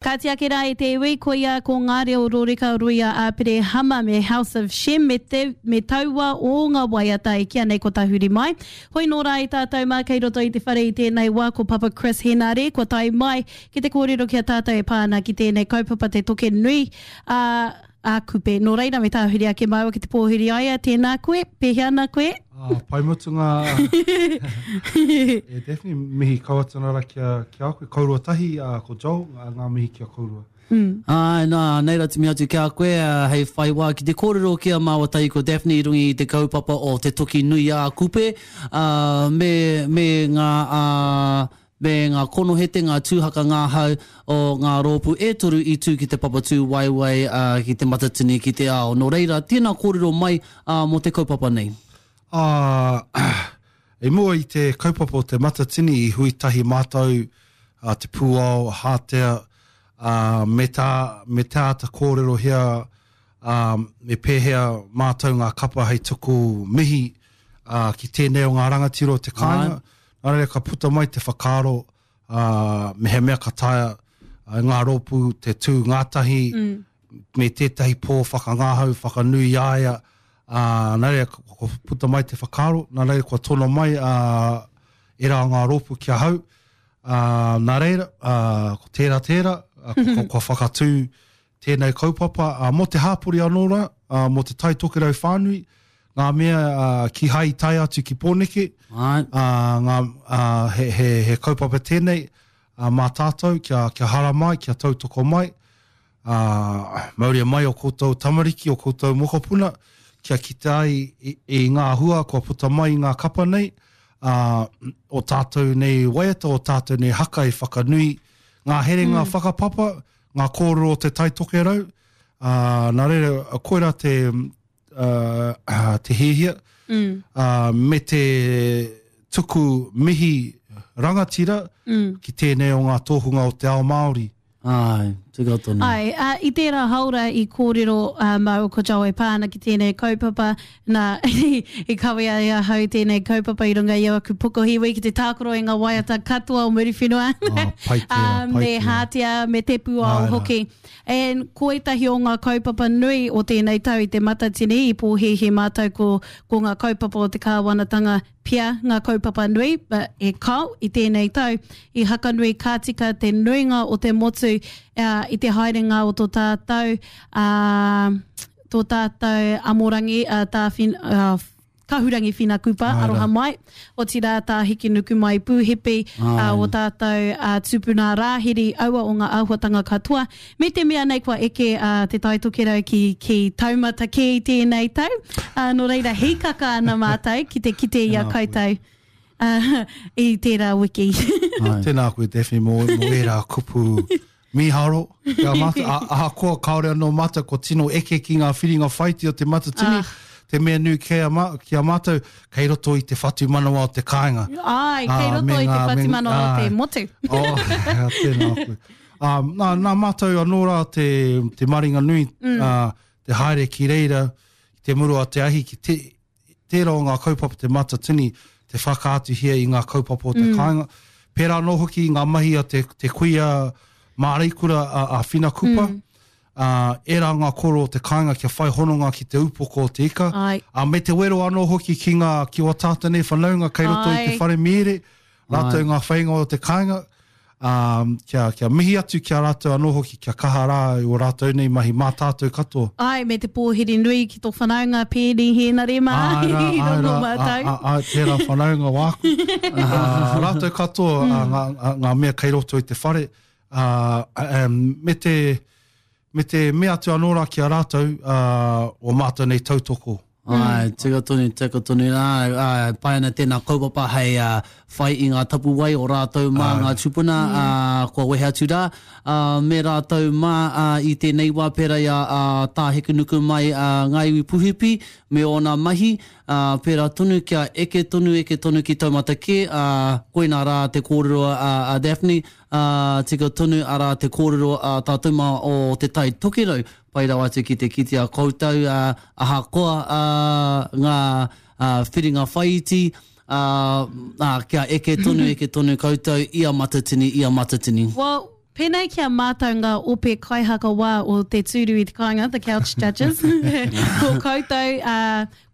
Kāti ake rā e te iwi, koia ko ngā reo roreka Ruia Aperehama me House of Shem me te, me taua o ngā waiata e kīa nei ko Tahuri Mai. Hoi nō rā e tātou mā kei roto i te whare i tēnei wā ko Papa Chris Henare kua tae mai ki te kōrero ki a tātou e pā ana ki tēnei kaupapa te toke nui a, a Kupe. Nō reira me tāhuri ake māua ki te pōhiri a ia, tēnā koe, pēhea ana koe? Ah, pai mutunga. e Daphne, mihi kau atu ana ra ki a, ki a koe. Kourua tahi, uh, ko Joel, ngā, ngā mihi ki a kourua. Mm. Āe, nā, nei rā te mihi atu ki a koe, uh, hei whai wā ki te kōrero ki a māua tahi ko Daphne i runga i te kaupapa o Te Toki Nui a Kupe, uh, me, me ngā, uh, me ngā konohete, ngā tūhaka ngahau o ngā rōpū e toru i tū ki te papatū waewae ki Te Matatini ki te Ao. Nō reira, tēnā kōrero mai mō te kaupapa nei. Ā, i mua i te kaupapa o Te Matatini i hui tahi mātou a Te Pūao, a Hātea, ā, me tā, me te āta kōrerohia, ā, me pēhea mātou ngā kapa hei tuku mihi, ā, ki tēnei o ngā rangatira o te kāinga. Nā reira ka puta mai te whakaaro, ā, mehemea ka taea e ngā rōpū te tū ngātahi mm. me tētahi pō whakangahau, whakanui i a ia, ā, nā reira kua puta mai te whakaaro, nā reira kua tono mai ā, ērā o ngā rōpū ki ahau, ā, nā reira, ā, ko tērā tērā, ā, kua, kua whakatū tēnei kaupapa, ā, mō te hāpori anō rā, ā, mō te Tai Tokerau whānui, ngā mea ā, kīhai i tae atu ki Pōneke, ā, ngā, ā, he, he, he kaupapa tēnei, ā, mā tātou kia, kia haramai, kia tautoko mai, ā, mauria mai o koutou tamariki, o koutou mokopuna, kia kite ai i, i ngā hua kua puta mai i ngā kapa nei, ā, o tātou nei waiata, o tātou nei haka i whakanui ngā herenga mm. whakapapa, ngā kōrero o te Tai Tokerau, ā, nā reira, koirā te, ā, te hiahia, mm. ā, me te tuku mihi rangatira mm. ki tēnei o ngā tōhunga o te ao Māori. Āe, tika tonu. Āe, ā, i tērā haora i kōrero ā, māua ko Joe e pā ana ki tēnei kaupapa, nā, i kawea e ahau tēnei kaupapa i runga i aku pokohiwi ki te tākaro i ngā waiata katoa o Muriwhenua. Oh, pai tērā, ā, pai me tērā. Hātea, me Te Pūao Āe rā. hoki. And ko ētahi o ngā kaupapa nui o tēnei tau i te Matatini i pōhēhē mātou ko, ko ngā kaupapa o te kāwanatanga pea ngā kaupapa nui, but e kao, i tēnei tau, i hakanui ka tika te nuinga o te motu i te haerenga o tō tātou, tō tātou amorangi, tā Kahurangi Whina Kupa, aroha mai, otirā tā Hekenukumai Pūhipi, o tātou tupuna Rāhiri, aua o ngā āhuatanga katoa. Me te mea nei kua eke a Te Tai Tokerau ki, ki taumata kē i tēnei tau, ā, nō reira hīkaka ana mātou ki te kite i a koutou i tērā wiki. Tēnā koe Daphne mō, mō ērā kupu mīharo ki a mātou. A, ahakoa kāore anō mātou kua tino eke ki ngā whiringa whaiti o Te Matatini, ah. te mea nui ki a, ki a mātou, kei roto i te whatumanawa o te kāinga. Ai, kei roto i te whatumanawa o te motu. Oh, tēnā koe. Ā, nā, nā mātou anō rā te, te maringa nui, mm. ā, te haere ki reira, ki te muru a te ahi, ki te, tērā o ngā kaupapa te matatini, te whakaatuhia i ngā kaupapa o te mm. kāinga. Pērā anō hoki i ngā mahi a te, te kuia māreikura a, a Whina Kupa, mm. ā, ērā ngā koro o te kāinga kia whai hononga ki te upoko o te ika. Ai. Ā, me te wero anō hoki ki ngā, ki wā tātou nei whanaunga kei roto Ai. i te whare mīere, rātou ngā whainga o te kāinga, ā, kia, kia mihi atu ki a rātou anō hoki, kia kaha rā i o rātou nei mahi mā tātou katoa. Āe, me te pōhiri nui ki tō whanaunga Pēni Hēnare mā, Āe rā, i āe rongo rā, ā, mātou. ā, āe, tērā whanaunga wāku. Ā, rātou katoa, ā, ngā, ngā, ngā mea kei roto i te whare, ā, me te, Me te mea atu anō rā ki a rātou, ā, o mātou nei tautoko. Āe, tika tonu, tika tonu. Āe, āe, pai ana tēnā kaupapa hei whai i ngā tapuwae o rātou mā ngā tūpuna, ā, kua wehe atu rā, ā, me rātou mā, ā, i tēnei wā pērā i a, ā, Tā Hekenukumai, ā, Ngā Iwi Puhipi me ōna mahi, ā, pērā tonu kia eke tonu, eke tonu ki taumata kē, ā, koinā rā te kōrero a, a Daphne, Ā, tika tonu, arā te kōrero a tātou mā o Te Tai Tokerau, pai rawa atu ki te kitea koutou, ā, ahakoa, ā, ngā, ā, whiringa whaiiti, ā, ā, kia eke tonu, eke tonu koutou i a Matatini, i a Matatini. Well, Pēnei ki a mātou ngā ope kaihakawā o te tūru i te kāinga, the couch judges, ko koutou, ā,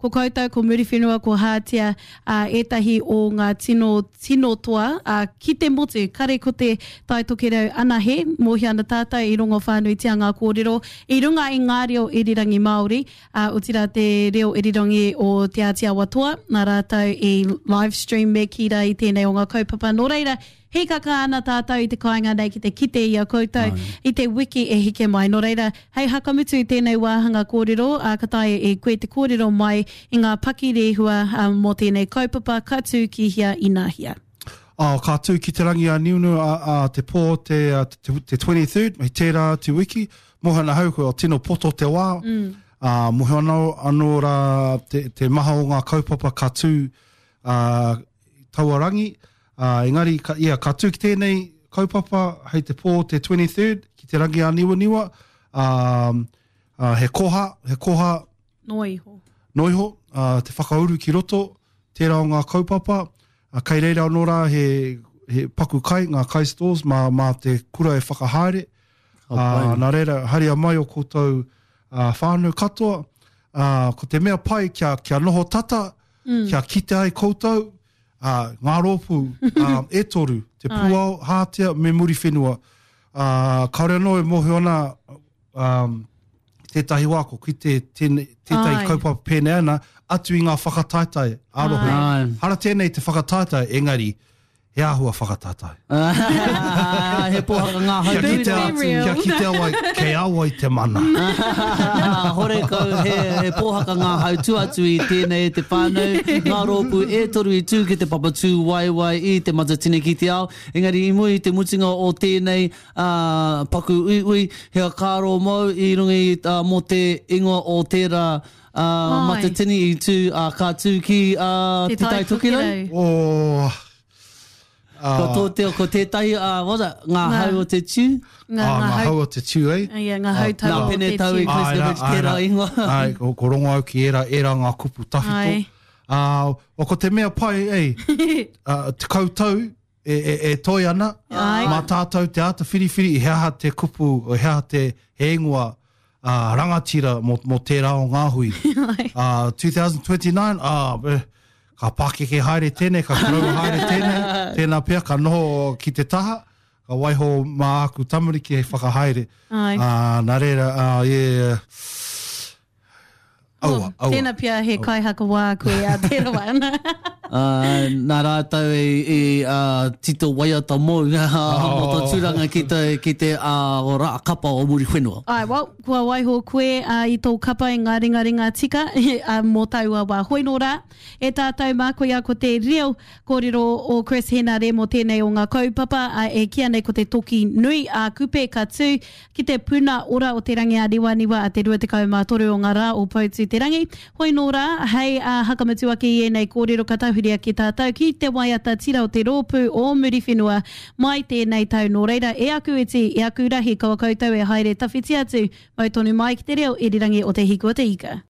ko koutou, ko Muriwhenua, ko Hātea, ā, ētahi o ngā tino, tino toa, ā, ki te motu, kare ko te Tai Tokerau anahe, mōhio ana tātou i rongo whānuitia ngā kōrero i runga i ngā reo irirangi Māori, ā, otirā te reo irirangi o Te Āti Awa Toa, nā rātou i live stream me kī rā i tēnei o ngā kaupapa. Nō reira, Hīkaka ana tātou i te kāinga nei ki te kite i a koutou i te wiki e heke mai. Nō reira, hei hakamutu i tēnei wāhanga kōrero, ā, ka taea e koe te kōrero mai i ngā pakirehua mō tēnei kaupapa ka tū ki hea inahia. Ā, ka tū ki Te Rangi-a-Niunu ā, ā te pō te, te, te 23rd, hei tērā te wiki, moe ana ahau kua tino poto te wā, ā, moe ana anō rā te, te maha o ngā kaupapa ka tū, ā, taua rangi, ā, engari, ka, ia, ka tū ki tēnei kaupapa hei te pō te 23rd, ki te rangi āniwaniwa, ā, ā, he koha, he koha. Noa iho. Noa iho, ā, te whakauru ki roto, tērā o ngā kaupapa, ā, kei reira anō rā he, he paku kai, ngā kai stalls, mā, mā te kura e whakahaere, ā, nā reira, haria mai o koutou, ā, whānau katoa, ā, ko te mea pai kia, kia noho tata, mm. kia kite ai koutou, ā, ngā rōpū ā, e toru, te Pūao, Hātea me Muriwhenua. Ā, kāore anō e mōhio ana um, tētahi wā ko kite tēne, tētahi kaupapa pēnei ana, atu i ngā whakataetae ā-rohe. Hara tēnei te whakataetae, engari, He āhua whakataetae. He pōhaka ngā hau Kia kitea atu, kia kitea wai, kei a wai te mana. Horekau he, he pōhaka ngā hau tu atu i tēnei e te whānau, ngā rōpū e toru i tū ki te papa tūwaewae i Te Matatini ki te Ao. Engari i mua i te mutunga o tēnei uh, paku uiui, he whakaaro mōu i runga i, uh, mō te ingoa o tērā uh, Matatini i tū, uh, ka tū ki uh, Te Tai Tokerau. Oh, Ko tō te, ko tētahi, uh, what it, ngā hau o te tiu. Ngā, ah, ngā hau o te tiu, eh? Yeah, ngā hau tau o te tiu. Nā Pene Tau i Kleskovic tērā ingoa. Ai, ko, ko rongo au ki ērā, ērā ngā kupu tawhito. Ai. Uh, o, ko te mea pai, ei, uh, 10 tau e, e, e toi ana, Ai. mā tātou te āta whiriwhiri i he aha te kupu, he aha te he ingoa uh, rangatira mō, mō tērā o ngā hui. Uh, 2029, ah, eh, ka pākeke haere tēnei, ka koroua haere tēnei, tēnā pea ka noho ki te taha, ka waiho mā aku tamariki hei whakahaere. Ai. Uh, nā reira, uh, yeah, Aua, aua. Tēnā pea he kaihakawā koe a te rawa ana. Uh, nā rātou i, i uh, tito waiata mōu mō tō tūranga ki te, ki te uh, rā kapa o Muriwhenua. Ai, well, kua waiho koe uh, i tō kapa i ngā ringaringa tika uh, mō taua wā. Hoi nō rā, e tātou mā koia ko te reo kōrero o Chris Henare mō tēnei o ngā kaupapa uh, e kīa nei ko te toki nui a Kupe ka tū Ki te puna ora o Te Rangi-a-Niwaniwa a te 23 o ngā rā o Poutū-te-rangi. Hoi nō rā, hei ā hakamutu ake i ēnei kōrero ka tahuri ake tātou ki te waiata tira o te rōpū o Muriwhenua mai tēnei tau. Nō reira, e aku iti, e aku rahi, kaua koutou e haere tawhiti atu, mau tonu mai ki te reo irirangi o Te Hiku o Te Ika.